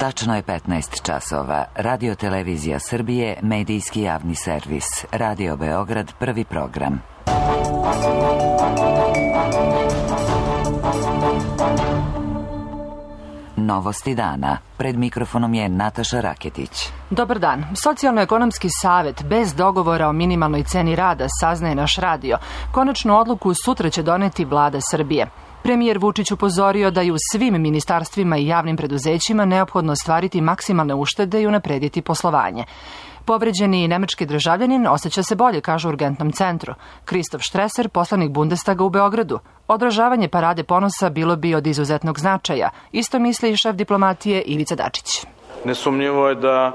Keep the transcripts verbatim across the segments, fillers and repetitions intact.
Tačno je petnaest časova. Radio Televizija Srbije, medijski javni servis. Radio Beograd, prvi program. Novosti dana. Pred mikrofonom je Nataša Raketić. Dobar dan. Socijalno-ekonomski savet bez dogovora o minimalnoj ceni rada, saznaje naš radio. Konačnu odluku sutra će doneti vlada Srbije. Premijer Vučić upozorio da je u svim ministarstvima i javnim preduzećima neophodno ostvariti maksimalne uštede i unaprediti poslovanje. Povređeni nemački državljanin osjeća se bolje, kaže u urgentnom centru. Kristof Štreser, poslanik Bundestaga u Beogradu. Održavanje parade ponosa bilo bi od izuzetnog značaja. Isto misli i šef diplomatije Ivica Dačić. Nesumnjivo je da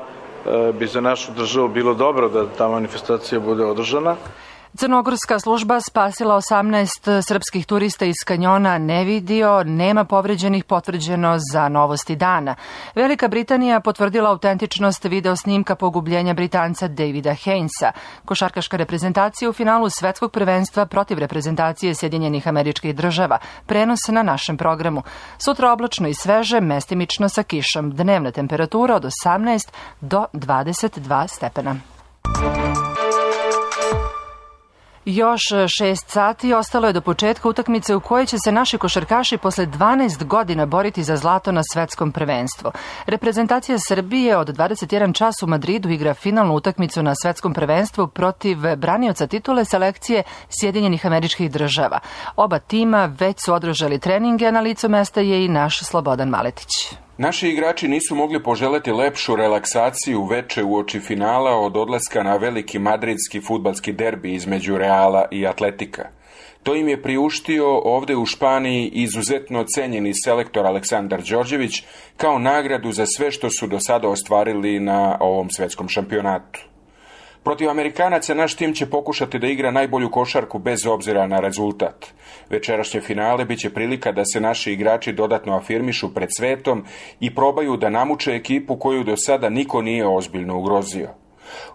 e, bi za našu državu bilo dobro da ta manifestacija bude održana. Crnogorska služba spasila osamnaest srpskih turista iz kanjona Nevidio, nema povređenih, potvrđeno za Novosti dana. Velika Britanija potvrdila autentičnost video snimka pogubljenja Britanca Davida Hainesa. Košarkaška reprezentacija u finalu svetskog prvenstva protiv reprezentacije Sjedinjenih Američkih Država. Prenos na našem programu. Sutra oblačno i sveže, mestimično sa kišom. Dnevna temperatura od osamnaest do dvadeset dva stepena. Još šest sati ostalo je do početka utakmice u kojoj će se naši košarkaši posle dvanaest godina boriti za zlato na svetskom prvenstvu. Reprezentacija Srbije od dvadeset jedan čas u Madridu igra finalnu utakmicu na svetskom prvenstvu protiv branioca titule selekcije Sjedinjenih Američkih Država. Oba tima već su održali treninge, a na licu mesta je i naš Slobodan Maletić. Naši igrači nisu mogli poželeti lepšu relaksaciju veče uoči finala od odlaska na veliki madridski fudbalski derbi između Reala i Atletika. To im je priuštio ovde u Španiji izuzetno cenjeni selektor Aleksandar Đorđević kao nagradu za sve što su do sada ostvarili na ovom svetskom šampionatu. Protiv Amerikanaca naš tim će pokušati da igra najbolju košarku bez obzira na rezultat. Večerašnje finale biće prilika da se naši igrači dodatno afirmišu pred svetom i probaju da namuče ekipu koju do sada niko nije ozbiljno ugrozio.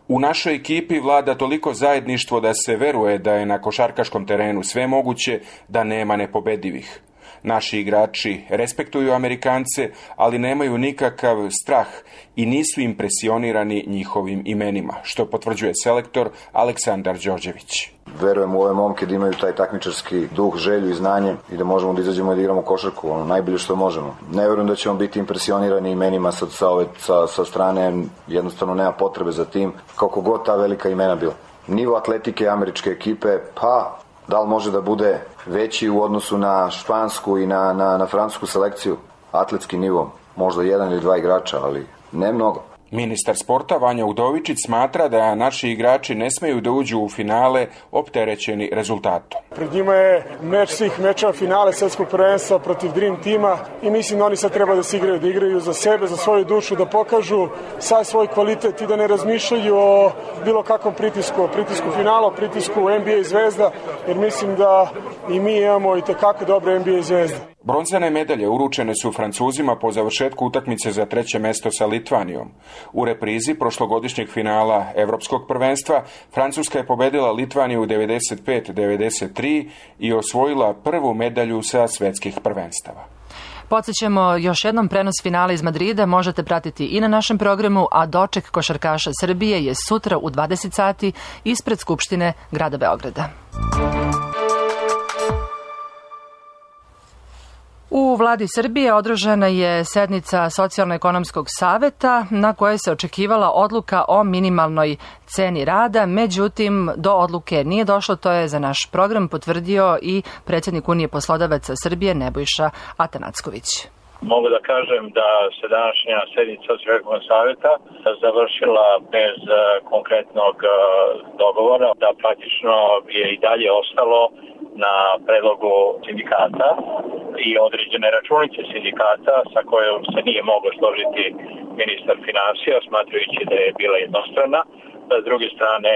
U našoj ekipi vlada toliko zajedništvo da se veruje da je na košarkaškom terenu sve moguće, da nema nepobedivih. Naši igrači respektuju Amerikance, ali nemaju nikakav strah i nisu impresionirani njihovim imenima, što potvrđuje selektor Aleksandar Đorđević. Verujem u ove momke da imaju taj takmičarski duh, želju i znanje i da možemo da izađemo i da igramo košarku, ono najbolje što možemo. Ne verujem da ćemo biti impresionirani imenima sa, sa, ove, sa, sa strane, jednostavno nema potrebe za tim, kako god ta velika imena bila. Nivo atletike američke ekipe, pa da li može da bude veći u odnosu na špansku i na, na, na francusku selekciju? Atletski nivo, možda jedan ili dva igrača, ali ne mnogo. Ministar sporta Vanja Udovičić smatra da naši igrači ne smeju da uđu u finale opterećeni rezultatom. Pred njima je meč svih mečeva finale svetskog prvenstva protiv Dream tima i mislim da oni sad treba da se igraju, da igraju za sebe, za svoju dušu, da pokažu sav svoj kvalitet i da ne razmišljaju o bilo kakvom pritisku, o pritisku finala, o pritisku N B A zvezda, jer mislim da i mi imamo i tekako dobre N B A zvezde. Bronzane medalje uručene su Francuzima po završetku utakmice za treće mesto sa Litvanijom. U reprizi prošlogodišnjeg finala Evropskog prvenstva Francuska je pobedila Litvaniju devedeset pet devedeset tri i osvojila prvu medalju sa svetskih prvenstava. Podsjećamo još jednom, prenos finala iz Madrida možete pratiti i na našem programu, a doček košarkaša Srbije je sutra u dvadeset sati ispred Skupštine grada Beograda. U vladi Srbije održana je sednica Socijalno-ekonomskog saveta na kojoj se očekivala odluka o minimalnoj ceni rada, međutim do odluke nije došlo, to je za naš program potvrdio i predsjednik Unije poslodavaca Srbije Nebojša Atanacković. Mogu da kažem da se današnja sednica Socijalno-ekonomskog saveta završila bez konkretnog dogovora, da praktično je i dalje ostalo na predlogu sindikata i određene računice sindikata sa kojom se nije moglo složiti ministar finansija, smatrajući da je bila jednostrana. S druge strane,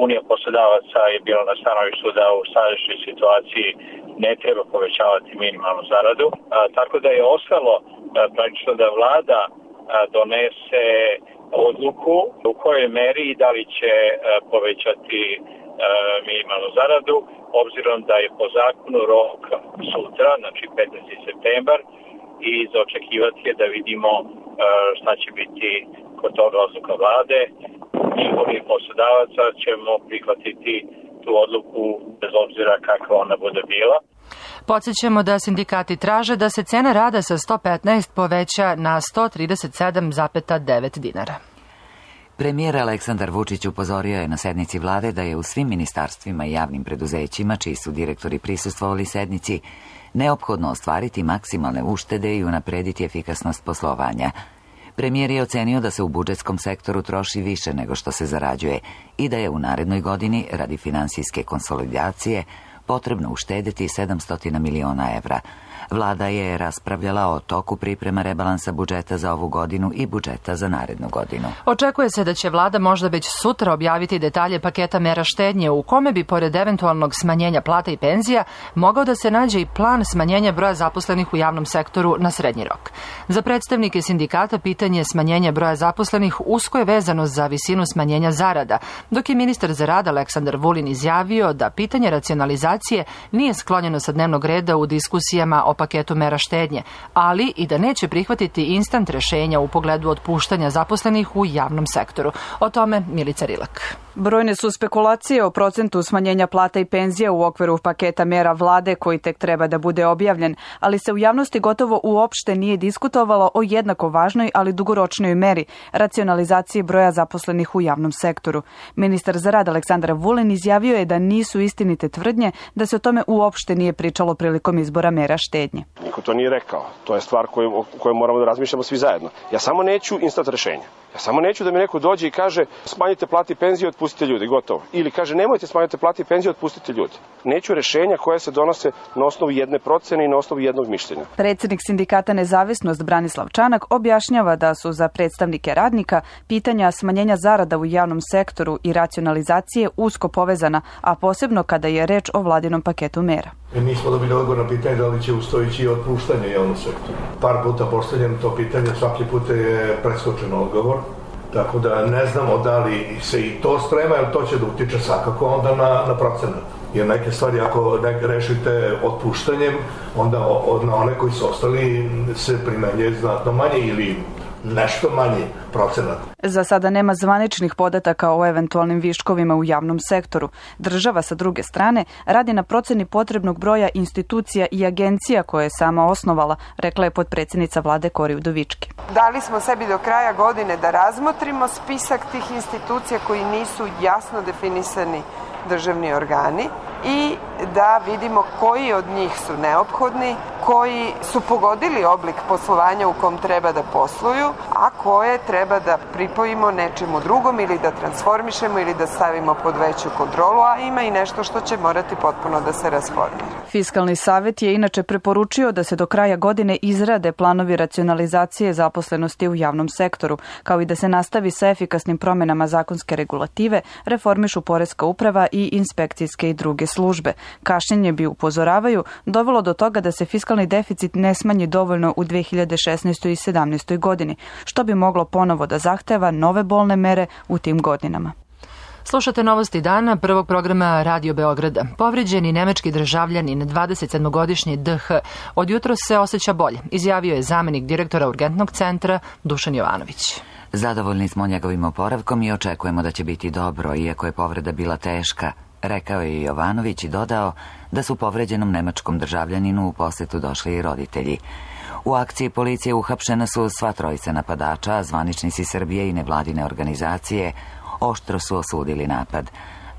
Unija poslodavaca je bila na stanovištu da u sadašnjoj situaciji ne treba povećavati minimalnu zaradu. A, tako da je ostalo a, praktično da vlada a, donese odluku u kojoj meri i da li će a, povećati a, minimalnu zaradu, obzirom da je po zakonu rok sutra, znači petnaesti septembar, i za očekivati je da vidimo šta će biti kod toga odluka vlade. Njihovi poslodavaca ćemo prihvatiti tu odluku bez obzira kakva ona bude bila. Podsjećamo da sindikati traže da se cena rada sa sto petnaest poveća na sto trideset sedam zarez devet dinara. Premijer Aleksandar Vučić upozorio je na sednici vlade da je u svim ministarstvima i javnim preduzećima, čiji su direktori prisustvovali sednici, neophodno ostvariti maksimalne uštede i unaprediti efikasnost poslovanja. Premijer je ocenio da se u budžetskom sektoru troši više nego što se zarađuje i da je u narednoj godini, radi finansijske konsolidacije, potrebno uštedeti sedamsto miliona evra. Vlada je raspravljala o toku priprema rebalansa budžeta za ovu godinu i budžeta za narednu godinu. Očekuje se da će vlada možda već sutra objaviti detalje paketa mera štednje u kome bi, pored eventualnog smanjenja plata i penzija, mogao da se nađe i plan smanjenja broja zaposlenih u javnom sektoru na srednji rok. Za predstavnike sindikata pitanje smanjenja broja zaposlenih usko je vezano za visinu smanjenja zarada, dok je ministar za rad Aleksandar Vulin izjavio da pitanje racionalizacije nije sklonjeno sa dnevnog reda u diskusijama o paketu mera štednje, ali i da neće prihvatiti instant rešenja u pogledu otpuštanja zaposlenih u javnom sektoru. O tome Milica Rilak. Brojne su spekulacije o procentu smanjenja plata i penzija u okviru paketa mera vlade koji tek treba da bude objavljen, ali se u javnosti gotovo uopšte nije diskutovalo o jednako važnoj, ali dugoročnoj meri racionalizacije broja zaposlenih u javnom sektoru. Ministar za rad Aleksandar Vulin izjavio je da nisu istinite tvrdnje da se o tome uopšte nije pričalo prilikom izbora mera štednje. Niko to nije rekao. To je stvar koju, o kojoj moramo da razmišljamo svi zajedno. Ja samo neću instant rešenja. Ja samo neću da mi neko dođe i kaže smanjite plati i penzije, otpustite ljudi, gotovo. Ili kaže nemojte smanjiti plati i penzije, otpustite ljudi. Neću rešenja koje se donose na osnovu jedne procene i na osnovu jednog mišljenja. Predsjednik sindikata Nezavisnost Branislav Čanak objašnjava da su za predstavnike radnika pitanja smanjenja zarada u javnom sektoru i racionalizacije usko povezana, a posebno kada je reč o vladinom paketu mera. Mi smo dobili odgovor na pitanje da li će ustojići otpuštanje javnog sektora. Par puta postavljeno to pitanje, svaki put je preskočeno odgovor. Tako da ne znamo da li se i to sprema, jer to će da utiče svakako onda na, na procenat. Jer neke stvari, ako ne rešite otpuštanjem, onda na one koji su ostali se primenjuje znatno manje ili nešto manji procenat. Za sada nema zvaničnih podataka o eventualnim viškovima u javnom sektoru. Država, sa druge strane, radi na proceni potrebnog broja institucija i agencija koje je sama osnovala, rekla je potpredsjednica vlade Kori Udovički. Dali smo sebi do kraja godine da razmotrimo spisak tih institucija koji nisu jasno definisani državni organi i da vidimo koji od njih su neophodni, koji su pogodili oblik poslovanja u kom treba da posluju, a koje treba da pripojimo nečemu drugom ili da transformišemo ili da stavimo pod veću kontrolu, a ima i nešto što će morati potpuno da se rasformira. Fiskalni savet je inače preporučio da se do kraja godine izrade planovi racionalizacije zaposlenosti u javnom sektoru, kao i da se nastavi sa efikasnim promjenama zakonske regulative, reformišu poreska uprava i inspekcijske i druge službe. Kašnjenje bi, upozoravaju, dovelo do toga da se fiskalni deficit ne smanji dovoljno u dve hiljade šesnaestoj i sedamnaestoj godini, što bi moglo ponovo da zahteva nove bolne mere u tim godinama. Slušate novosti dana prvog programa Radio Beograda. Povređeni nemački državljanin, dvadesetsedmogodišnji D H, od jutros se osjeća bolje, izjavio je zamenik direktora urgentnog centra Dušan Jovanović. Zadovoljni smo njegovim oporavkom i očekujemo da će biti dobro, iako je povreda bila teška, rekao je Jovanović i dodao da su povređenom nemačkom državljaninu u posetu došli i roditelji. U akciji policije uhapšena su sva trojica napadača, a zvaničnici Srbije i nevladine organizacije oštro su osudili napad.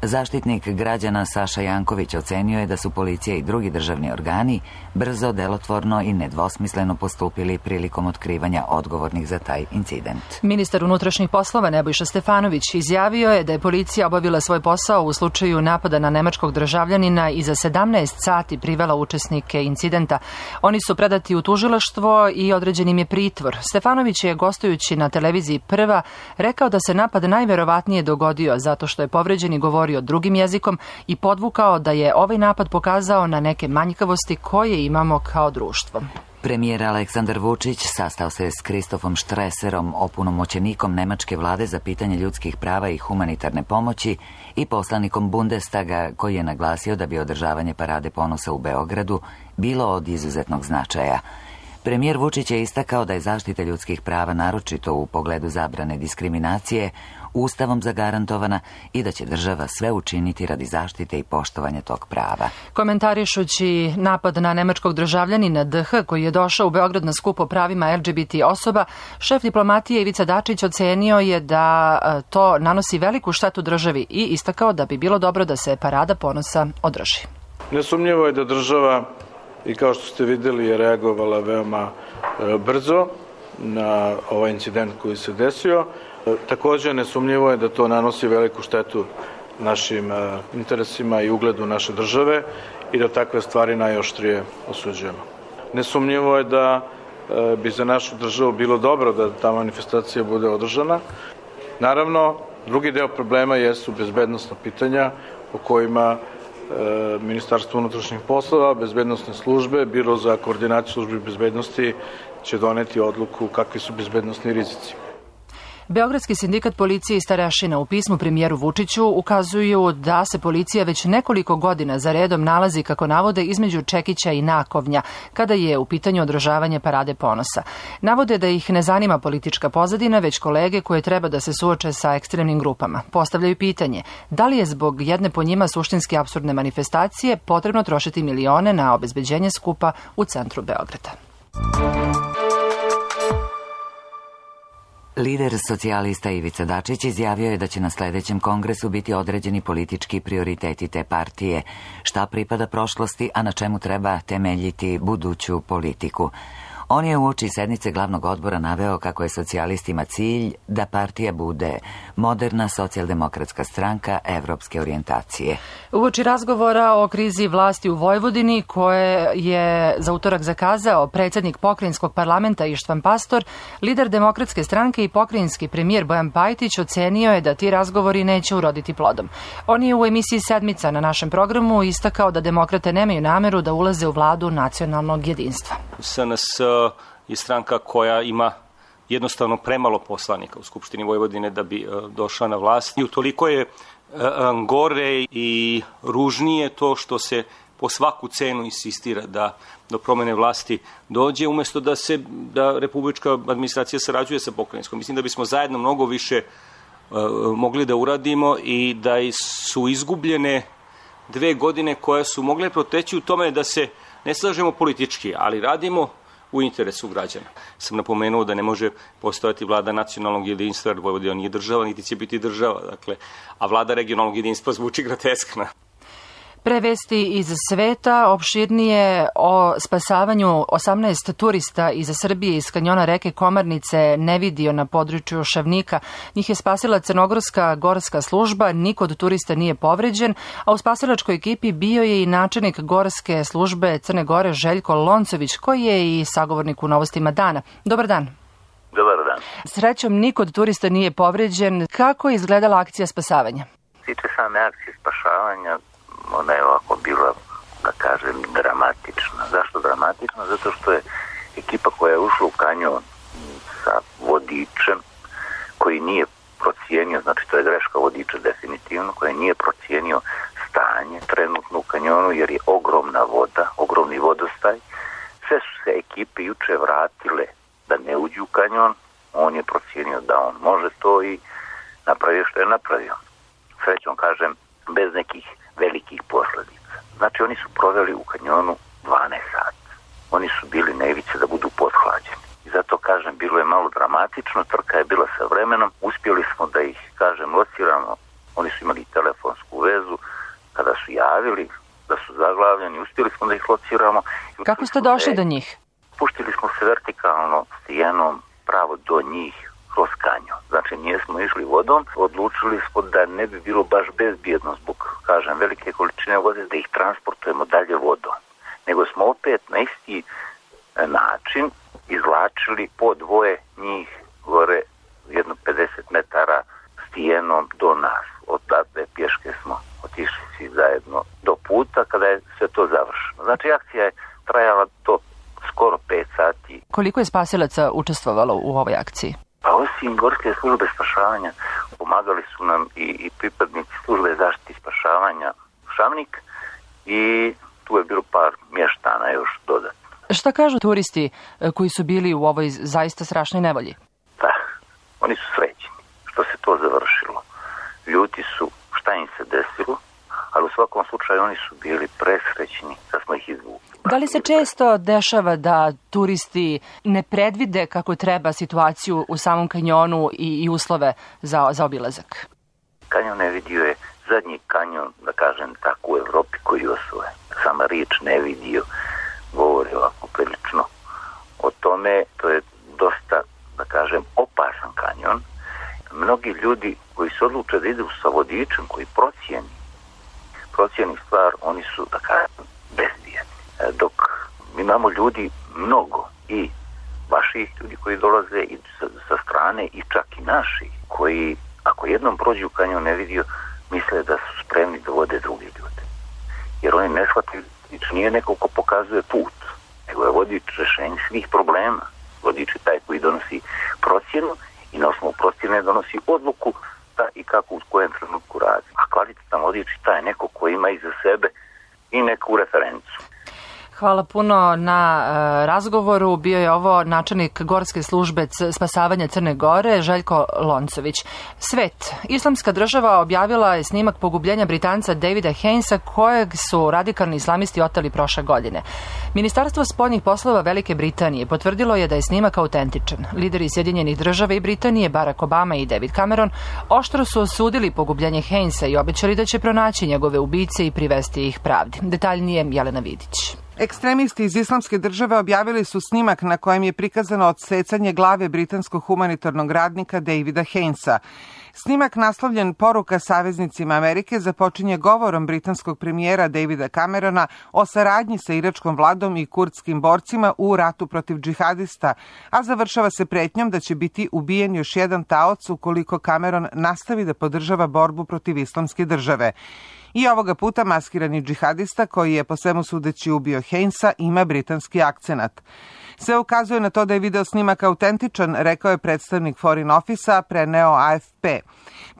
Zaštitnik građana Saša Janković ocenio je da su policija i drugi državni organi brzo, delotvorno i nedvosmisleno postupili prilikom otkrivanja odgovornih za taj incident. Ministar unutrašnjih poslova Nebojša Stefanović izjavio je da je policija obavila svoj posao u slučaju napada na nemačkog državljanina i za sedamnaest sati privela učesnike incidenta. Oni su predati u tužilaštvo i određen im je pritvor. Stefanović je, gostujući na televiziji Prva, rekao da se napad najverovatnije dogodio zato što je povređeni govorio drugim jezikom i podvukao da je ovaj napad pokazao na neke manjkavosti koje imamo kao društvo. Premijer Aleksandar Vučić sastao se s Kristofom Štreserom, opunomoćenikom nemačke vlade za pitanje ljudskih prava i humanitarne pomoći, i poslanikom Bundestaga, koji je naglasio da bi održavanje parade ponosa u Beogradu bilo od izuzetnog značaja. Premijer Vučić je istakao da je zaštita ljudskih prava, naročito u pogledu zabrane diskriminacije, Ustavom zagarantovana i da će država sve učiniti radi zaštite i poštovanja tog prava. Komentarišući napad na nemačkog državljanina D H koji je došao u Beograd na skup o pravima L G B T osoba, šef diplomatije Ivica Dačić ocenio je da to nanosi veliku štetu državi i istakao da bi bilo dobro da se parada ponosa održi. Nesumnjivo je da država, i kao što ste videli, je reagovala veoma brzo na ovaj incident koji se desio. Također nesumnjivo je da to nanosi veliku štetu našim interesima i ugledu naše države i da takve stvari najoštrije osuđujemo. Nesumnjivo je da bi za našu državu bilo dobro da ta manifestacija bude održana. Naravno, drugi deo problema jesu bezbednosna pitanja o kojima Ministarstvo unutrašnjih poslova, bezbednosne službe, Biro za koordinaciju službi bezbednosti će doneti odluku kakvi su bezbednosni rizici. Beogradski sindikat policije i starešina u pismu premijeru Vučiću ukazuju da se policija već nekoliko godina za redom nalazi, kako navode, između čekića i nakovnja kada je u pitanju održavanje parade ponosa. Navode da ih ne zanima politička pozadina, već kolege koje treba da se suoče sa ekstremnim grupama. Postavljaju pitanje da li je zbog jedne po njima suštinski apsurdne manifestacije potrebno trošiti milione na obezbeđenje skupa u centru Beograda. Lider socijalista Ivica Dačić izjavio je da će na sledećem kongresu biti određeni politički prioriteti te partije, šta pripada prošlosti, a na čemu treba temeljiti buduću politiku. On je uoči sednice glavnog odbora naveo kako je socijalistima cilj da partija bude moderna socijaldemokratska stranka evropske orijentacije. Uoči razgovora o krizi vlasti u Vojvodini, koje je za utorak zakazao predsjednik pokrajinskog parlamenta Ištvan Pastor, lider demokratske stranke i pokrajinski premijer Bojan Pajtić ocenio je da ti razgovori neće uroditi plodom. On je u emisiji Sedmica na našem programu istakao da demokrate nemaju nameru da ulaze u vladu nacionalnog jedinstva. S N S je stranka koja ima jednostavno premalo poslanika u Skupštini Vojvodine da bi došla na vlast. I utoliko je gore i ružnije to što se po svaku cenu insistira da do promene vlasti dođe, umjesto da se da republička administracija sarađuje sa pokrajinskom. Mislim da bismo zajedno mnogo više mogli da uradimo i da su izgubljene dve godine koje su mogle proteći u tome da se ne slažemo politički, ali radimo u interesu građana. Sam napomenuo da ne može postojati vlada nacionalnog jedinstva, jer Vojvodina nije država, niti će biti država, dakle, a vlada regionalnog jedinstva zvuči groteskna. Prevesti iz sveta, opširnije o spasavanju osamnaest turista iz Srbije iz kanjona reke Komarnice Nevidio na području Šavnika. Njih je spasila crnogorska gorska služba, niko od turista nije povređen, a u spasilačkoj ekipi bio je i načelnik gorske službe Crne Gore Željko Loncović, koji je i sagovornik u Novostima dana. Dobar dan. Dobar dan. Srećom, niko od turista nije povređen. Kako je izgledala akcija spasavanja? Tiče same akcije spašavanja, ona je ovako bila, da kažem, dramatična. Zašto dramatična? Zato što je ekipa koja je ušla u kanjon sa vodičem koji nije procijenio, znači to je greška vodiča definitivno, koji nije procijenio stanje trenutno u kanjonu jer je ogromna voda, ogromni vodostaj. Sve su se ekipe juče vratile da ne uđu u kanjon, on je procijenio da on može to i napravio što je napravio. Srećom kažem, bez nekih velikih posljedica. Znači oni su proveli u kanjonu dvanaest sati. Oni su bili na ivici da budu pothlađeni. I zato kažem, bilo je malo dramatično, trka je bila sa vremenom, uspjeli smo da ih, kažem, lociramo. Oni su imali telefonsku vezu, kada su javili da su zaglavljeni, uspjeli smo da ih lociramo. Kako ste došli do njih? Puštili smo se vertikalno stijenom pravo do njih kroz kanjon. Znači nijesmo išli vodom, odlučili smo da ne bi bilo baš bezbjedno zbog, kažem, velike količine vode da ih transportujemo dalje vodom. Nego smo opet na isti način izvlačili po dvoje njih gore jedno pedeset metara stijenom do nas. Odatle pješke smo otišli svi zajedno do puta kada je sve to završeno. Znači akcija je trajala do skoro pet sati. Koliko je spasilaca učestvovalo u ovoj akciji? Pa osim gorske službe spašavanja pomagali su nam i, i pripadnici službe zaštite i spašavanja Šavnik i tu je bilo par mještana još dodatno. Šta kažu turisti koji su bili u ovoj zaista strašnoj nevolji? Da, oni su srećni što se to završilo. Ljuti su šta im se desilo, ali u svakom slučaju oni su bili presrećni da smo ih izvukli. Da li se često dešava da turisti ne predvide kako treba situaciju u samom kanjonu i, i uslove za, za obilazak? Kanjon ne vidio je zadnji kanjon, da kažem tako, u Evropi koji osvoje. Sama riječ ne vidio govori ovako prilično o tome. To je dosta, da kažem, opasan kanjon. Mnogi ljudi koji se odluče da idu sa vodičem, koji procijeni, procijeni stvar, oni su, da kažem, bezbjedni. Dok imamo ljudi mnogo i vaših ljudi koji dolaze i sa, sa strane i čak i naši, koji ako jednom prođu u kanjon ne vidio, misle da su spremni da vode drugi ljude. Jer oni ne shvataju, nije neko ko pokazuje put, nego je vodič rešenje svih problema. Vodič je taj koji donosi procjenu i na osnovu procjene donosi odluku da i kako u kojem trenutku radi. A kvalitetan vodič je taj neko koji ima iza sebe i neku referencu. Hvala puno na e, razgovoru. Bio je ovo načelnik Gorske službe spasavanja Crne Gore, Željko Loncović. Svet. Islamska država objavila je snimak pogubljenja Britanca Davida Hainesa, kojeg su radikalni islamisti oteli prošle godine. Ministarstvo spoljnih poslova Velike Britanije potvrdilo je da je snimak autentičan. Lideri Sjedinjenih država i Britanije, Barack Obama i David Cameron, oštro su osudili pogubljenje Hainesa i obećali da će pronaći njegove ubice i privesti ih pravdi. Detaljnije Jelena Vidić. Ekstremisti iz Islamske države objavili su snimak na kojem je prikazano odsecanje glave britanskog humanitarnog radnika Davida Hainesa. Snimak naslovljen Poruka saveznicima Amerike započinje govorom britanskog premijera Davida Camerona o saradnji sa iračkom vladom i kurdskim borcima u ratu protiv džihadista, a završava se pretnjom da će biti ubijen još jedan taoc ukoliko Cameron nastavi da podržava borbu protiv Islamske države. I ovoga puta maskirani džihadista, koji je po svemu sudeći ubio Hainesa, ima britanski akcenat. Sve ukazuje na to da je video snimak autentičan, rekao je predstavnik Foreign Office-a, preneo A F P.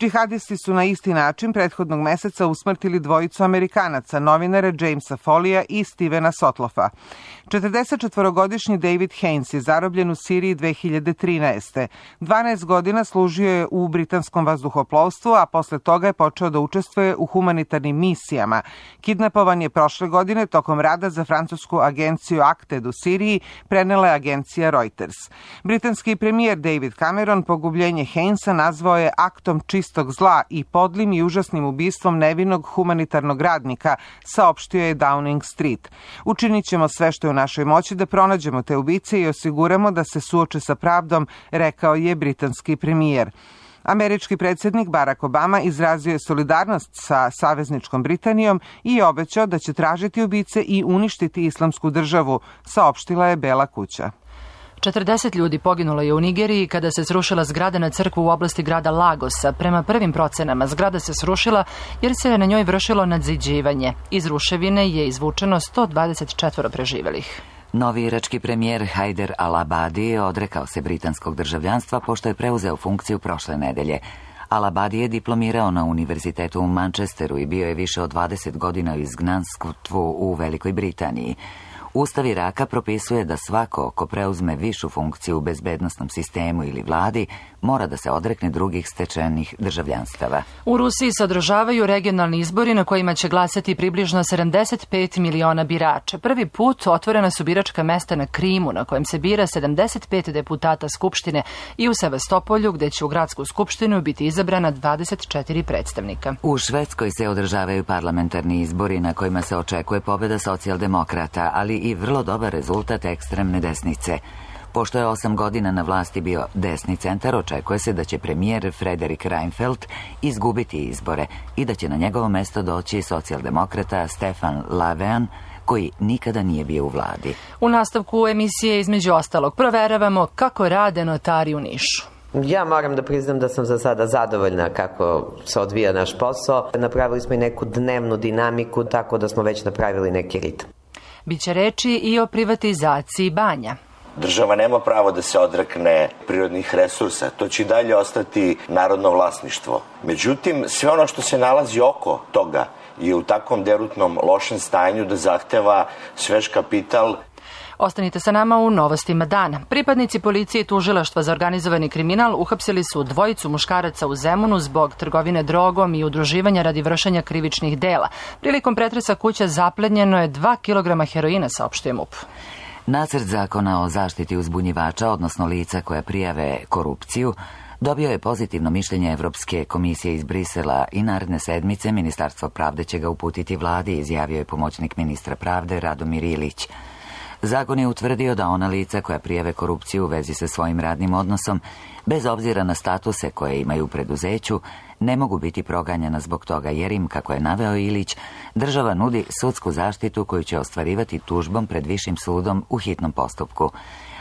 Džihadisti su na isti način prethodnog meseca usmrtili dvojicu Amerikanaca, novinare Jamesa Folija i Stevena Sotlofa. četrdesetčetvorogodišnji David Haines je zarobljen u Siriji dve hiljade trinaeste. dvanaest godina služio je u britanskom vazduhoplovstvu, a posle toga je počeo da učestvuje u humanitarnim misijama. Kidnapovan je prošle godine tokom rada za francusku agenciju Acted u Siriji, prenela je agencija Reuters. Britanski premijer David Cameron pogubljenje Hainesa nazvao je aktom čistog zla i podlim i užasnim ubistvom nevinog humanitarnog radnika, saopštio je Downing Street. Učinit ćemo sve što je u našoj moći da pronađemo te ubice i osiguramo da se suoče sa pravdom, rekao je britanski premijer. Američki predsjednik Barack Obama izrazio je solidarnost sa savezničkom Britanijom i obećao da će tražiti ubice i uništiti Islamsku državu, saopštila je Bela kuća. četrdeset ljudi poginulo je u Nigeriji kada se srušila zgrada na crkvu u oblasti grada Lagosa. Prema prvim procenama, zgrada se srušila jer se na njoj vršilo nadziđivanje. Iz ruševine je izvučeno sto dvadeset četvoro preživelih. Novi irački premijer Hajder al-Abadi odrekao se britanskog državljanstva pošto je preuzeo funkciju prošle nedelje. Al-Abadi je diplomirao na univerzitetu u Manchesteru i bio je više od dvadeset godina u izgnanstvu u Velikoj Britaniji. Ustav Iraka propisuje da svako ko preuzme višu funkciju u bezbednosnom sistemu ili vladi mora da se odrekne drugih stečenih državljanstava. U Rusiji se održavaju regionalni izbori na kojima će glasati približno sedamdeset pet miliona birača. Prvi put otvorena su biračka mesta na Krimu, na kojem se bira sedamdeset pet deputata Skupštine, i u Sevastopolju, gde će u gradsku skupštinu biti izabrana dvadeset četiri predstavnika. U Švedskoj se održavaju parlamentarni izbori na kojima se očekuje pobjeda socijaldemokrata, ali i vrlo dobar rezultat ekstremne desnice. Pošto je osam godina na vlasti bio desni centar, očekuje se da će premijer Frederik Reinfeldt izgubiti izbore i da će na njegovo mesto doći socijaldemokrata Stefan Löfven, koji nikada nije bio u vladi. U nastavku emisije između ostalog proveravamo kako rade notari u Nišu. Ja moram da priznam da sam za sada zadovoljna kako se odvija naš posao. Napravili smo i neku dnevnu dinamiku, tako da smo već napravili neki ritam. Biće reči i o privatizaciji banja. Država nema pravo da se odrekne prirodnih resursa. To će i dalje ostati narodno vlasništvo. Međutim, sve ono što se nalazi oko toga je u takvom derutnom lošem stanju da zahteva svež kapital. Ostanite sa nama u novostima dana. Pripadnici policije i tužilaštva za organizovani kriminal uhapsili su dvojicu muškaraca u Zemunu zbog trgovine drogom i udruživanja radi vršenja krivičnih dela. Prilikom pretresa kuća zaplenjeno je dva kilograma heroina, saopštuje MUP. Nacrt zakona o zaštiti uzbunjivača, odnosno lica koja prijave korupciju, dobio je pozitivno mišljenje Evropske komisije iz Brisela i naredne sedmice Ministarstvo pravde će ga uputiti vladi, izjavio je pomoćnik ministra pravde Radomir Ilić. Zakon je utvrdio da ona lica koja prijave korupciju u vezi sa svojim radnim odnosom, bez obzira na statuse koje imaju u preduzeću, ne mogu biti proganjana zbog toga jer im, kako je naveo Ilić, država nudi sudsku zaštitu koju će ostvarivati tužbom pred višim sudom u hitnom postupku.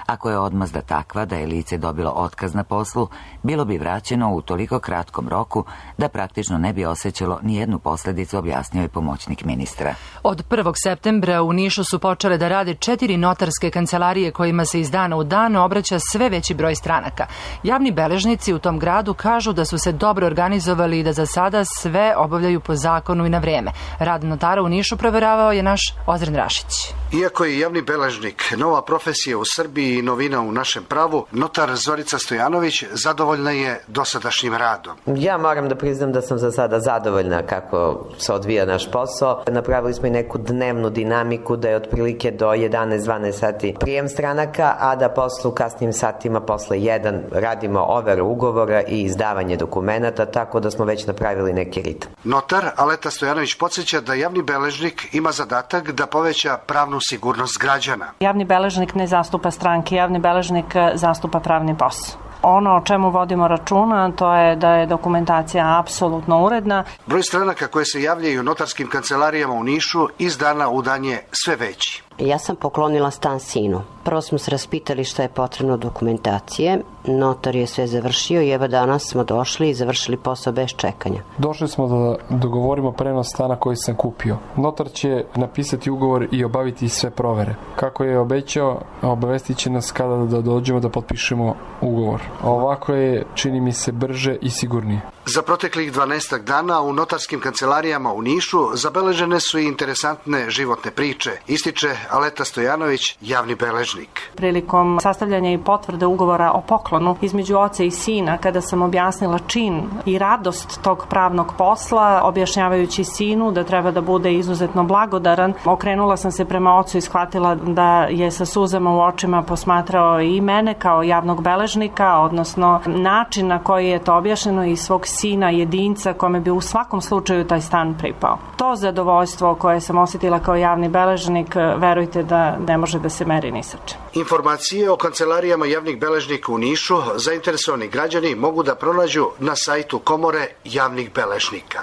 Ako je odmazda takva da je lice dobilo otkaz na poslu, bilo bi vraćeno u toliko kratkom roku da praktično ne bi osjećalo ni jednu posljedicu, objasnio je pomoćnik ministra. Od prvog septembra u Nišu su počele da rade četiri notarske kancelarije kojima se iz dana u dan obraća sve veći broj stranaka. Javni beležnici u tom gradu kažu da su se dobro organizovali i da za sada sve obavljaju po zakonu i na vreme. Rad notara u Nišu proveravao je naš Ozren Rašić. Iako je javni beležnik nova profesija u Srbiji i novina u našem pravu, notar Zorica Stojanović zadovoljna je dosadašnjim radom. Ja moram da priznam da sam za sada zadovoljna kako se odvija naš posao. Napravili smo i neku dnevnu dinamiku da je otprilike do jedanaest dvanaest sati prijem stranaka, a da posle u kasnim satima posle jedan radimo overu ugovora i izdavanje dokumenata, tako da smo već napravili neki ritam. Notar Aleta Stojanović podsjeća da javni beležnik ima zadatak da poveća pravnu sigurnost građana. Javni beležnik ne zastupa stranke, javni beležnik zastupa pravni posao. Ono o čemu vodimo računa, to je da je dokumentacija apsolutno uredna. Broj stranaka koje se javljaju u notarskim kancelarijama u Nišu iz dana u dan je sve veći. Ja sam poklonila stan sinu. Prvo smo se raspitali šta je potrebno dokumentacije. Notar je sve završio i evo danas smo došli i završili posao bez čekanja. Došli smo da dogovorimo prenos stana koji sam kupio. Notar će napisati ugovor i obaviti sve provere. Kako je obećao, obavestit će nas kada da dođemo da potpišemo ugovor. A ovako je, čini mi se, brže i sigurnije. Za proteklih dvanaestak dana u notarskim kancelarijama u Nišu zabeležene su i interesantne životne priče, ističe Aleta Stojanović, javni beležnik. Prilikom sastavljanja i potvrde ugovora o poklonu između oca i sina, kada sam objasnila čin i radost tog pravnog posla, objašnjavajući sinu da treba da bude izuzetno blagodaran, okrenula sam se prema ocu i shvatila da je sa suzama u očima posmatrao i mene kao javnog beležnika, odnosno način na koji je to objašnjeno i svog sina, jedinca kome bi u svakom slučaju taj stan pripao. To zadovoljstvo koje sam osjetila kao javni beležnik, verujte da ne može da se meri ni sa čim. Informacije o kancelarijama javnih beležnika u Nišu zainteresovani građani mogu da pronađu na sajtu Komore javnih beležnika.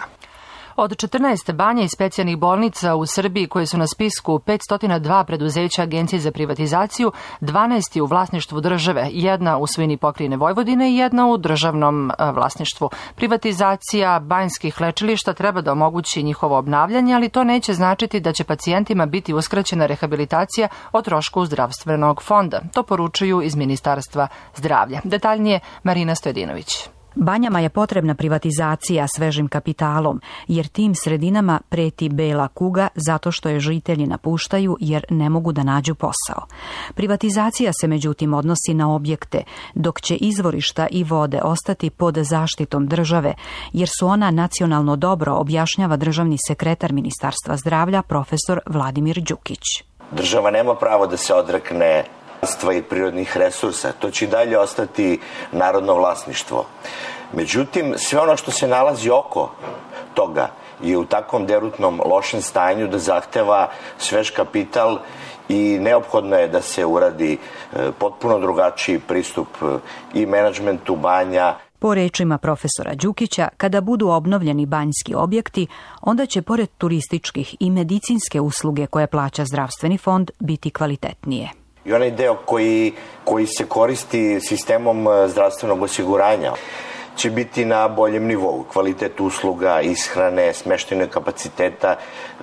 Od četrnaest banja i specijalnih bolnica u Srbiji koje su na spisku petsto dva preduzeća Agencije za privatizaciju, dvanaest je u vlasništvu države, jedna u svojini pokrajine Vojvodine i jedna u državnom vlasništvu. Privatizacija banjskih lečilišta treba da omogući njihovo obnavljanje, ali to neće značiti da će pacijentima biti uskraćena rehabilitacija o trošku zdravstvenog fonda. To poručuju iz Ministarstva zdravlja. Detaljnije Marina Stojedinović. Banjama je potrebna privatizacija svežim kapitalom, jer tim sredinama preti bela kuga zato što je žitelji napuštaju jer ne mogu da nađu posao. Privatizacija se međutim odnosi na objekte, dok će izvorišta i vode ostati pod zaštitom države, jer su ona nacionalno dobro, objašnjava državni sekretar Ministarstva zdravlja profesor Vladimir Đukić. Država nema pravo da se odrekne i prirodnih resursa. To će i dalje ostati narodno vlasništvo. Međutim, sve ono što se nalazi oko toga je u takvom derutnom lošem stanju da zahteva svež kapital i neophodno je da se uradi potpuno drugačiji pristup i menadžmentu banja. Po rečima profesora Đukića, kada budu obnovljeni banjski objekti, onda će pored turističkih i medicinske usluge koje plaća zdravstveni fond biti kvalitetnije. I onaj deo koji, koji se koristi sistemom zdravstvenog osiguranja će biti na boljem nivou. Kvalitet usluga, ishrane, smeštajnog kapaciteta,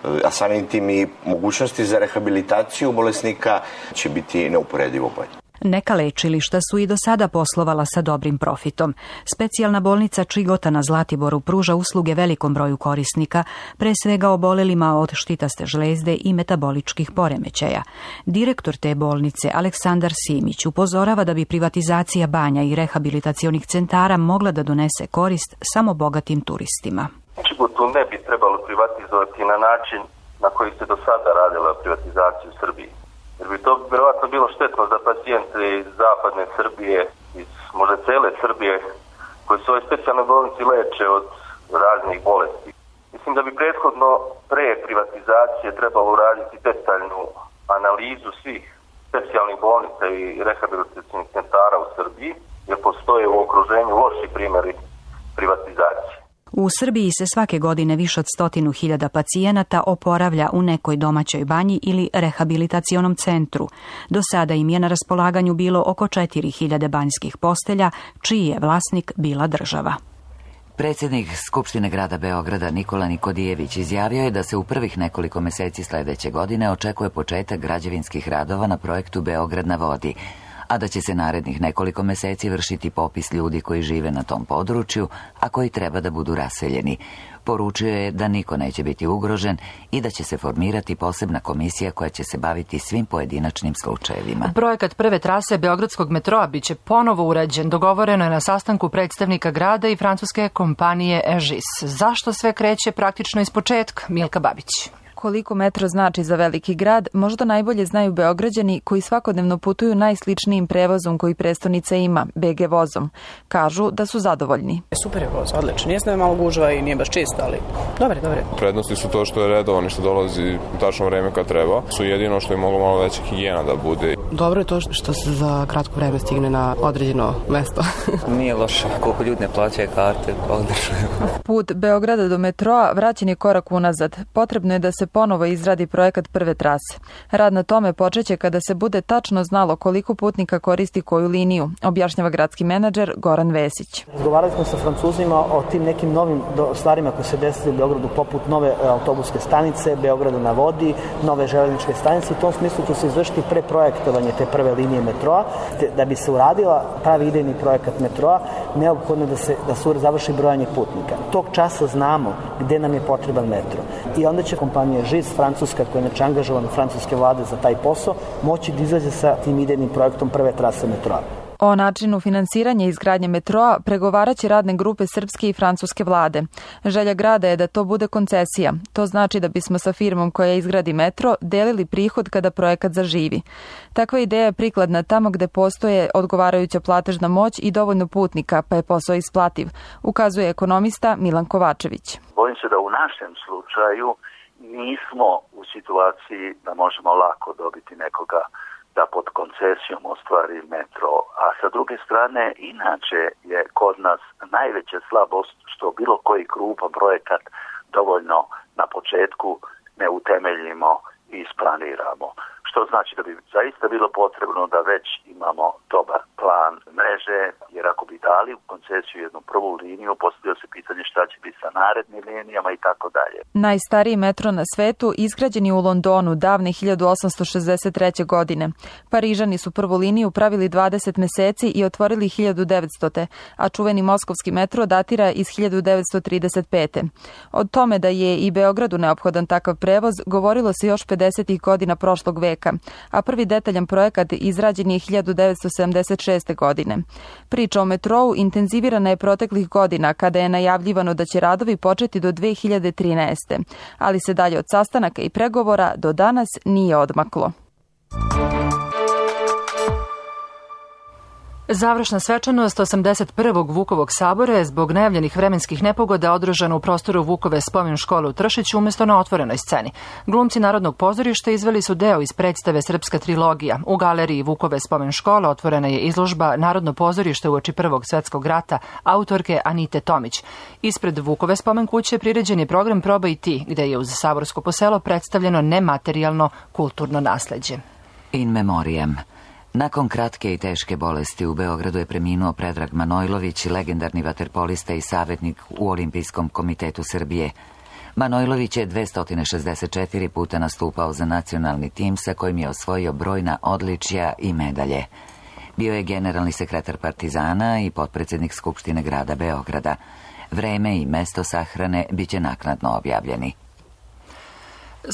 a samim tim i mogućnosti za rehabilitaciju bolesnika će biti neuporedivo bolje. Neka lečilišta su i do sada poslovala sa dobrim profitom. Specijalna bolnica Čigota na Zlatiboru pruža usluge velikom broju korisnika, pre svega obolelima od štitaste žlezde i metaboličkih poremećaja. Direktor te bolnice, Aleksandar Simić, upozorava da bi privatizacija banja i rehabilitacionih centara mogla da donese korist samo bogatim turistima. Čigotu ne bi trebalo privatizovati na način na koji se do sada radila privatizacija u Srbiji. Jer bi to vjerovatno bilo štetno za pacijente iz zapadne Srbije, iz možda cele Srbije, koji su ove specijalne bolnici leče od raznih bolesti. Mislim da bi prethodno pre privatizacije trebalo uraditi detaljnu analizu svih specijalnih bolnica i rehabilitacijnih centara u Srbiji, jer postoje u okruženju loši primjeri privatizacije. U Srbiji se svake godine više od stotinu hiljada pacijenata oporavlja u nekoj domaćoj banji ili rehabilitacionom centru. Do sada im je na raspolaganju bilo oko četiri hiljade banjskih postelja, čiji je vlasnik bila država. Predsjednik Skupštine grada Beograda Nikola Nikodijević izjavio je da se u prvih nekoliko meseci sljedeće godine očekuje početak građevinskih radova na projektu Beograd na vodi, a da će se narednih nekoliko meseci vršiti popis ljudi koji žive na tom području, a koji treba da budu raseljeni. Poručio je da niko neće biti ugrožen i da će se formirati posebna komisija koja će se baviti svim pojedinačnim slučajevima. Projekat prve trase Beogradskog metroa biće ponovo urađen. Dogovoreno je na sastanku predstavnika grada i francuske kompanije Egis. Zašto sve kreće praktično iz početka? Milka Babić. Koliko metro znači za veliki grad, možda najbolje znaju Beograđani koji svakodnevno putuju najsličnijim prevozom koji prestonica ima, be ge vozom. Kažu da su zadovoljni. Super je voz, odlično. Nije malo gužva i nije baš čisto, ali dobre, dobre. Prednosti su to što je redovan i što dolazi u tačno vreme kad treba. Su jedino što je moglo malo veća higijena da bude. Dobro je to što se za kratko vreme stigne na određeno mesto. Nije loše. Koliko ljudi ne plaćaju karte, odlično. Put Beograda do metroa vraćen je korak unazad. Potrebno je da se ponovo izradi projekat prve trase. Rad na tome počeće kada se bude tačno znalo koliko putnika koristi koju liniju, objašnjava gradski menadžer Goran Vesić. Razgovarali smo sa Francuzima o tim nekim novim stvarima koje se desili u Beogradu, poput nove autobuske stanice, Beograda na vodi, nove železničke stanice. U tom smislu će se izvršiti preprojektovanje te prve linije metroa. Da bi se uradila pravi idejni projekat metroa, neophodno da se, da se završi brojanje putnika. Tog časa znamo gde nam je potreban metro. I onda će kompanija Egis, francuska, koja je inače angažovana francuske vlade za taj posao, moći da izađe sa tim idejnim projektom prve trase metroa. O načinu finansiranja i izgradnje metroa pregovaraće radne grupe srpske i francuske vlade. Želja grada je da to bude koncesija. To znači da bismo sa firmom koja izgradi metro delili prihod kada projekat zaživi. Takva ideja je prikladna tamo gde postoje odgovarajuća platežna moć i dovoljno putnika, pa je posao isplativ, ukazuje ekonomista Milan Kovačević. Bojim se da u našem slučaju nismo u situaciji da možemo lako dobiti nekoga da pod koncesijom ostvari metro, a sa druge strane inače je kod nas najveća slabost što bilo koji krupan projekat dovoljno na početku ne utemeljimo i isplaniramo. Što znači da bi zaista bilo potrebno da već imamo dobar plan mreže, jer ako bi dali u koncesiju jednu prvu liniju, postavlja se pitanje šta će biti sa narednim linijama i tako dalje. Najstariji metro na svetu izgrađen je u Londonu davne hiljadu osamsto šezdeset treće. godine. Parižani su prvu liniju pravili dvadeset meseci i otvorili hiljadu devetstote. a čuveni moskovski metro datira iz hiljadu devetsto trideset pete. Od tome da je i Beogradu neophodan takav prevoz govorilo se još pedesetih godina prošlog veka, a prvi detaljan projekat izrađen je hiljadu devetsto sedamdeset šeste. godine. Priča o metrou intenzivirana je proteklih godina kada je najavljivano da će radovi početi do dve hiljade trinaeste. ali se dalje od sastanaka i pregovora do danas nije odmaklo. Završna svečanost osamdeset prvog Vukovog sabora je zbog najavljenih vremenskih nepogoda održana u prostoru Vukove spomen škole u Tršiću umjesto na otvorenoj sceni. Glumci Narodnog pozorišta izveli su deo iz predstave Srpska trilogija. U galeriji Vukove spomen škole otvorena je izložba Narodno pozorište uoči Prvog svjetskog rata autorke Anite Tomić. Ispred Vukove spomen kuće priređen je program Probaj ti, gde je uz saborsko poselo predstavljeno nematerijalno kulturno nasleđe. In memoriam. Nakon kratke i teške bolesti u Beogradu je preminuo Predrag Manojlović, legendarni vaterpolista i savjetnik u Olimpijskom komitetu Srbije. Manojlović je dvesta šezdeset četiri puta nastupao za nacionalni tim sa kojim je osvojio brojna odličja i medalje. Bio je generalni sekretar Partizana i potpredsjednik Skupštine grada Beograda. Vreme i mesto sahrane biće naknadno objavljeni.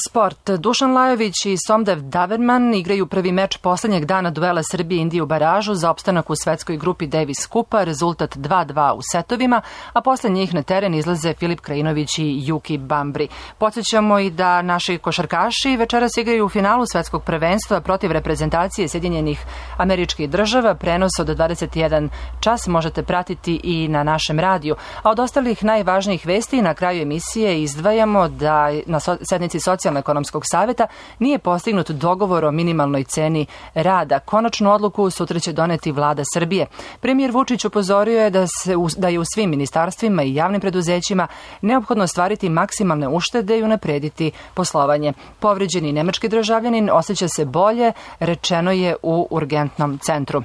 Sport. Dušan Lajović i Somdev Daverman igraju prvi meč poslednjeg dana duela Srbije i Indije u baražu za opstanak u svetskoj grupi Davis Kupa, rezultat dva dva u setovima, a posle njih na teren izlaze Filip Krajinović i Juki Bambri. Podsjećamo i da naši košarkaši večeras igraju u finalu svetskog prvenstva protiv reprezentacije Sjedinjenih Američkih Država. Prenos od dvadeset jedan čas možete pratiti i na našem radiju. A od ostalih najvažnijih vesti na kraju emisije izdvajamo da na sednici Socijalno-ekonomskog saveta nije postignut dogovor o minimalnoj ceni rada. Konačnu odluku sutra će doneti vlada Srbije. Premijer Vučić upozorio je da, se, da je u svim ministarstvima i javnim preduzećima neophodno ostvariti maksimalne uštede i unaprediti poslovanje. Povređeni nemački državljanin osjeća se bolje, rečeno je u urgentnom centru.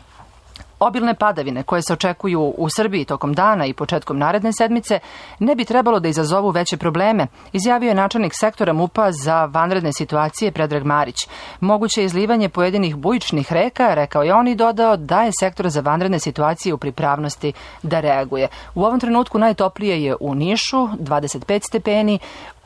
Obilne padavine koje se očekuju u Srbiji tokom dana i početkom naredne sedmice ne bi trebalo da izazovu veće probleme, izjavio je načelnik sektora MUP-a za vanredne situacije Predrag Marić. Moguće je izlivanje pojedinih bujičnih reka, rekao je on i dodao da je sektor za vanredne situacije u pripravnosti da reaguje. U ovom trenutku najtoplije je u Nišu, dvadeset pet stepeni,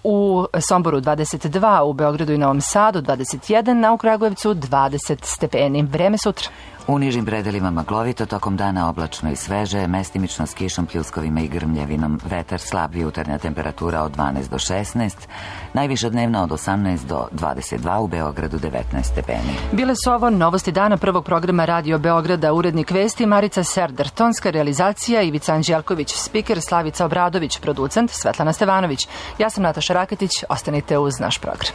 u Somboru dvadeset dva, u Beogradu i Novom Sadu dvadeset jedan, a u Kragujevcu dvadeset stepeni. Vreme sutra. U nižim predelima maglovito, tokom dana oblačno i sveže, mestimično s kišom, pljuskovima i grmljavinom, vetar slab, jutarnja temperatura od dvanaest do šesnaest, najviša dnevna od osamnaest do dvadeset dva, u Beogradu devetnaest stepeni. Bile su ovo novosti dana prvog programa Radio Beograda, urednik vesti Marica Serdar, tonska realizacija Ivica Anđelković, spiker Slavica Obradović, producent Svetlana Stevanović. Ja sam Nataša Raketić, ostanite uz naš program.